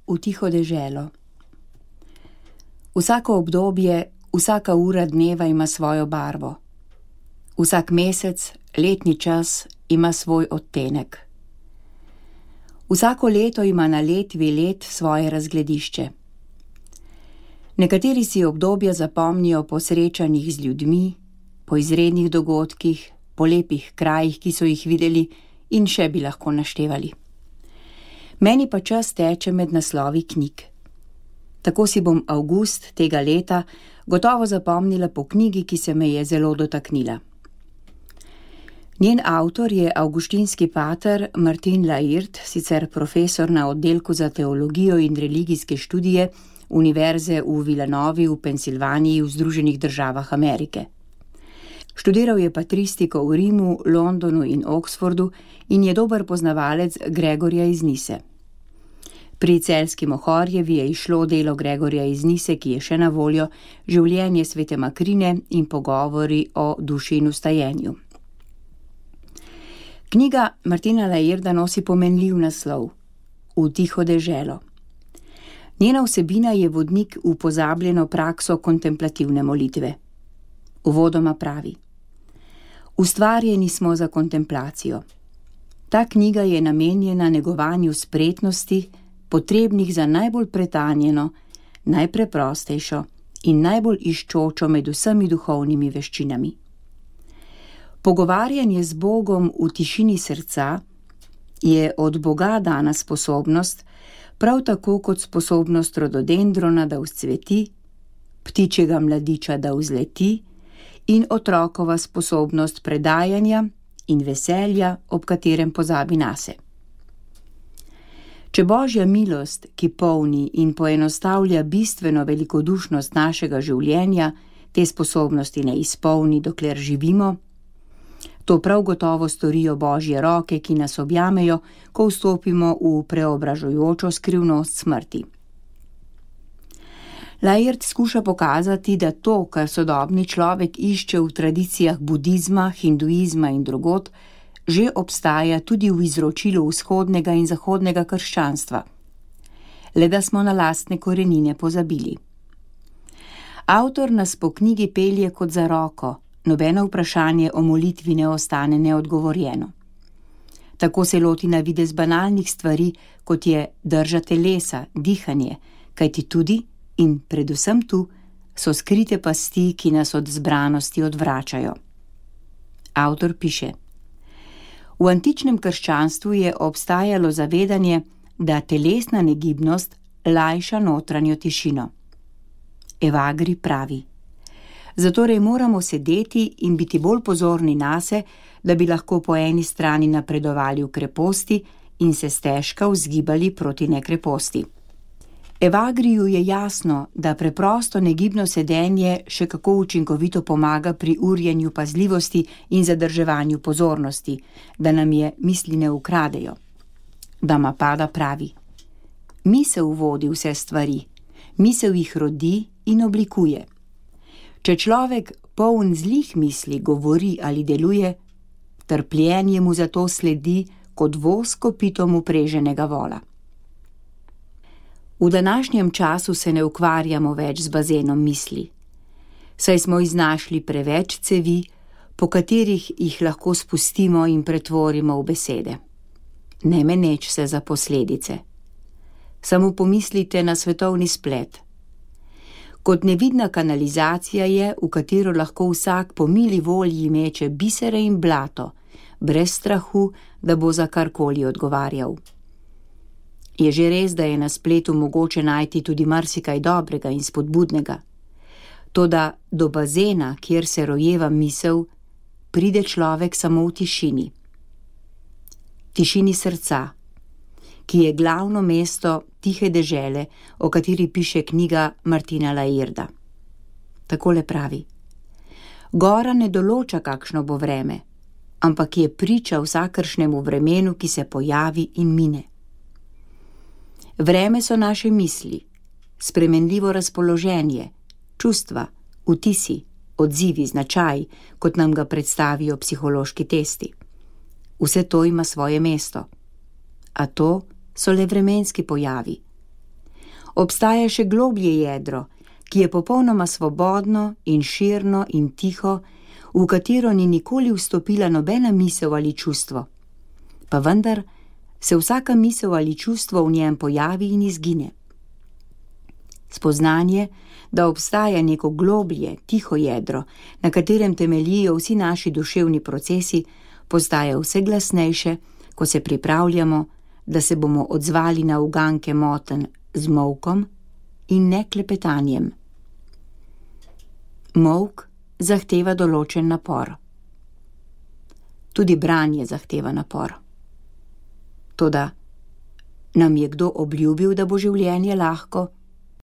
v tiho deželo. Vsako obdobje, vsaka ura dneva ima svojo barvo. Vsak mesec, letni čas ima svoj odtenek. Vsako leto ima na letvi let svoje razgledišče. Nekateri si obdobja zapomnijo po srečanjih z ljudmi, po izrednih dogodkih, po lepih krajih, ki so jih videli, in še bi lahko naštevali. Meni pa čas teče med naslovi knjig. Tako si bom avgust tega leta gotovo zapomnila po knjigi, ki se me je zelo dotaknila. Njen avtor je avguštinski pater Martin La'Hird, sicer profesor na oddelku za teologijo in religijske študije Univerze v Villanovi v Pensilvaniji v Združenih državah Amerike. Študiral je patristiko v Rimu, Londonu in Oxfordu in je dober poznavalec Gregorja iz Nise. Pri Celjski Mohorjevi je izšlo delo Gregorja iz Nise, ki je še na voljo, Življenje svete Makrine in pogovori o duši in vstajenju. Knjiga Martina La'Hirda nosi pomenljiv naslov V tiho deželo. Njena vsebina je vodnik v pozabljeno prakso kontemplativne molitve. Uvodoma pravi: Ustvarjeni smo za kontemplacijo. Ta knjiga je namenjena negovanju spretnosti, potrebnih za najbolj pretanjeno, najpreprostejšo in najbolj iščočo med vsemi duhovnimi veščinami. Pogovarjanje z Bogom v tišini srca je od Boga dana sposobnost, prav tako kot sposobnost rododendrona, da vzcveti, ptičjega mladiča, da vzleti, in otrokova sposobnost predajanja in veselja, ob katerem pozabi nase. Če Božja milost, ki polni in poenostavlja bistveno velikodušnost našega življenja, te sposobnosti ne izpolni, dokler živimo, to prav gotovo storijo Božje roke, ki nas objamejo, ko vstopimo v preobražujočo skrivnost smrti. La'Hird skuša pokazati, da to, kar sodobni človek išče v tradicijah budizma, hinduizma in drugod, že obstaja tudi v izročilu vzhodnega in zahodnega krščanstva. Le da smo na lastne korenine pozabili. Avtor nas po knjigi pelje kot za roko, nobeno vprašanje o molitvi ne ostane neodgovorjeno. Tako se loti na videz banalnih stvari, kot je drža telesa, dihanje, kajti tudi in predvsem tu so skrite pasti, ki nas od zbranosti odvračajo. Avtor piše: V antičnem krščanstvu je obstajalo zavedanje, da telesna negibnost lajša notranjo tišino. Evagri pravi: Zatorej moramo sedeti in biti bolj pozorni nase, da bi lahko po eni strani napredovali v kreposti in se stežka vzgibali proti nekreposti. Evagriju je jasno, da preprosto negibno sedenje še kako učinkovito pomaga pri urjenju pazljivosti in zadrževanju pozornosti, da nam je misli ne ukradejo. Dhammapada pravi: Misel vodi vse stvari, misel jih rodi in oblikuje. Če človek poln zlih misli govori ali deluje, trpljenje mu zato sledi kot voz kopitom upreženega vola. V današnjem času se ne ukvarjamo več z bazenom misli, saj smo iznašli preveč cevi, po katerih jih lahko spustimo in pretvorimo v besede. Ne meneč se za posledice. Samo pomislite na svetovni splet. Kot nevidna kanalizacija je, v katero lahko vsak po mili volji meče bisere in blato, brez strahu, da bo za karkoli odgovarjal. Je že res, da je na spletu mogoče najti tudi marsikaj dobrega in spodbudnega. Toda do bazena, kjer se rojeva misel, pride človek samo v tišini. Tišini srca, ki je glavno mesto tihe dežele, o kateri piše knjiga Martina La'Hirda. Takole pravi: Gora ne določa, kakšno bo vreme, ampak je priča vsakršnemu vremenu, ki se pojavi in mine. Vreme so naše misli, spremenljivo razpoloženje, čustva, vtisi, odzivi, značaji, kot nam ga predstavijo psihološki testi. Vse to ima svoje mesto. A to so le vremenski pojavi. Obstaja še globlje jedro, ki je popolnoma svobodno in širno in tiho, v katero ni nikoli vstopila nobena misel ali čustvo. Pa vendar se vsaka misel ali čustvo v njem pojavi in izgine. Spoznanje, da obstaja neko globlje, tiho jedro, na katerem temeljijo vsi naši duševni procesi, postaja vse glasnejše, ko se pripravljamo, da se bomo odzvali na uganke motenj z molkom in ne klepetanjem. Molk zahteva določen napor. Tudi branje zahteva napor. Toda nam je kdo obljubil, da bo življenje lahko?